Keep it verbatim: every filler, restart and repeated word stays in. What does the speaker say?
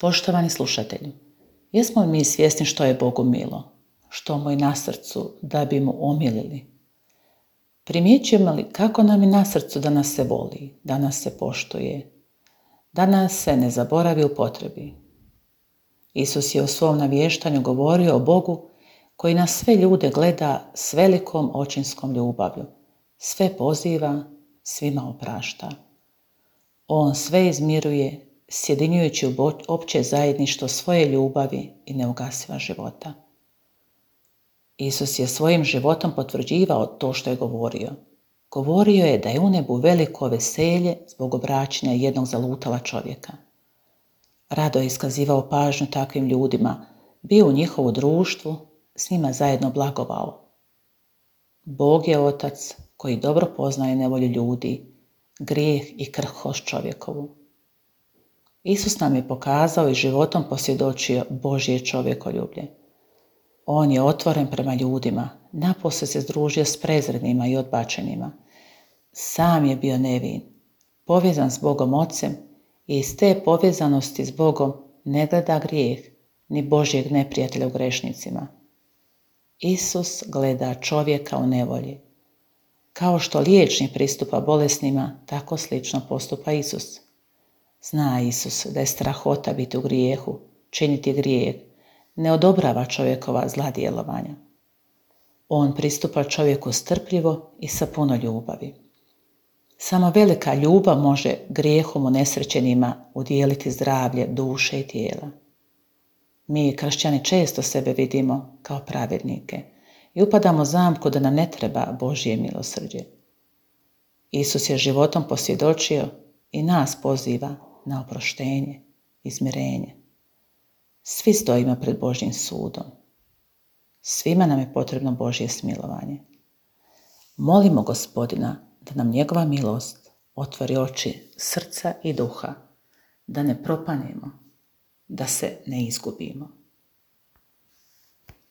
Poštovani slušatelji, jesmo li mi svjesni što je Bogu milo, što mu je na srcu da bi mu omilili? Primjećujemo li kako nam je na srcu da nas se voli, da nas se poštuje, da nas se ne zaboravi u potrebi? Isus je u svom navještanju govorio o Bogu koji na sve ljude gleda s velikom očinskom ljubavlju, sve poziva, svima oprašta. On sve izmiruje, sjedinjujući u opće zajedništvo svoje ljubavi i neugasiva života. Isus je svojim životom potvrđivao to što je govorio. Govorio je da je u nebu veliko veselje zbog obraćanja jednog zalutala čovjeka. Rado je iskazivao pažnju takvim ljudima, bio u njihovu društvu, s njima zajedno blagovao. Bog je Otac koji dobro poznaje nevolju ljudi, grijeh i krhkost čovjekovu. Isus nam je pokazao i životom posvjedočio Božje čovjekoljublje. On je otvoren prema ljudima, napose se združio s prezrenima i odbačenima. Sam je bio nevin, povezan s Bogom Ocem i iz te povezanosti s Bogom ne gleda grijeh ni Božjeg neprijatelja u grešnicima. Isus gleda čovjeka u nevolji. Kao što liječnik pristupa bolesnima, tako slično postupa Isus. Zna Isus da je strahota biti u grijehu, činiti grijeh, ne odobrava čovjekova zla djelovanja. On pristupa čovjeku strpljivo i sa puno ljubavi. Samo velika ljubav može grijehom unesrećenima udijeliti zdravlje duše i tijela. Mi, kršćani, često sebe vidimo kao pravednike i upadamo u zamku da nam ne treba Božje milosrđe. Isus je životom posvjedočio i nas poziva na oproštenje, izmirenje. Svi stojimo pred Božjim sudom. Svima nam je potrebno Božje smilovanje. Molimo Gospodina da nam njegova milost otvori oči srca i duha, da ne propanemo, da se ne izgubimo.